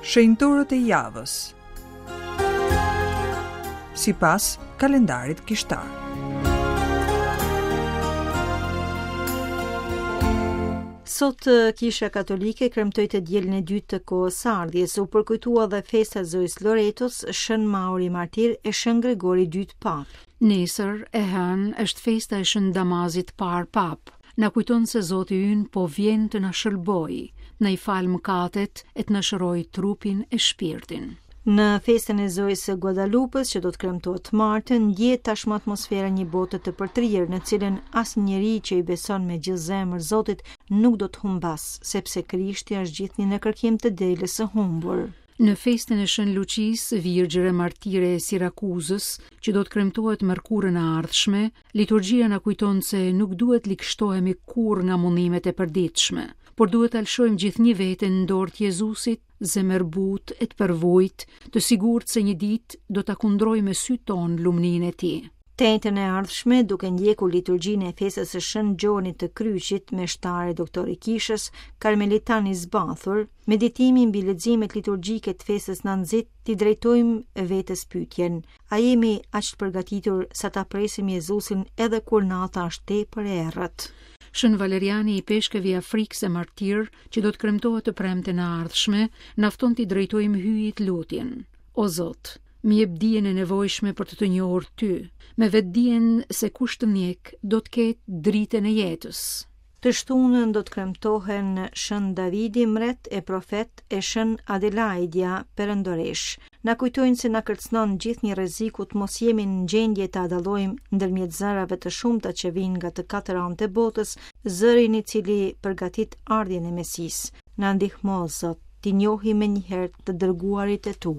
Shenjtorët e javës. Sipas kalendarit kishtar. Sot Kisha Katolike kremtoi të dielën e dytë të kohës së ardhjes. U përkujtua dhe festa e Zojës Loretos, Shën Mauri Martir e Shën Gregori i Dytë Papë. Nesër, e hënë, është festa e Shën Damazit të Parë Papë. Na kujton se Zoti ynë po vjen të na shëlbojë, të na i falë mëkatet e të na shërojë trupin e shpirtin. Në festën e Zojës së Guadalupës, që do të kremtohet të martën, ndjehet tashmë atmosfera e një bote të përtrirë, në cilën asnjë njeri që i beson me gjithë zemër Zotit nuk do të humbasë, sepse Krishti është gjithnjë në kërkim të delës së humbur. Në festën e Shën Luçisë, Virgjër e Martire e Sirakuzës, që do të kremtohet mërkurën e ardhshme, liturgjia na kujton se nuk duhet ligështohemi kurrë nga mundimet e përditshme, por duhet ta lëshojmë gjithnjë veten në dorë të Jezusit, zemërbutë e të përvujtë, të sigurt se një ditë do ta kundrojmë me sytë tonë lumninë e tij. Të enjten e ardhshme, duke ndjekur liturgjinë e festës së Shën Gjonit të Kryqit, meshtar e doktor i kishës, karmelitan i zbathur, meditimi mbi leximet liturgjike të festës na nxit t'i drejtojmë vetes pyetjen: A jemi aq të përgatitur sa ta presim Jezusin edhe kur nata është tepër e errët? Shën Valeriani, ipeshkëv i Afrikës e martir, që do të kremtohet të premten e ardhshme, na fton t'i drejtojmë Hyjit lutjen. O Zot, më jep dijen e nevojshme për të të njohur ty, me vetëdijen se kush të ndjek do të ketë dritën e jetës. Të shtunën do të kremtohen Shën Davidi, mbret e profet, e Shën Adelaidja, perandoreshë. Na kujtojnë se na kërcënon gjithnjë rreziku të mos jemi në gjendje ta dallojmë ndërmjet zërave të shumta që vijnë nga të katër anët e botës, zërin i cili përgatit ardhjen e Mesisë. Na ndihmo, Zot, t'i njohim menjëherë të dërguarit e tu.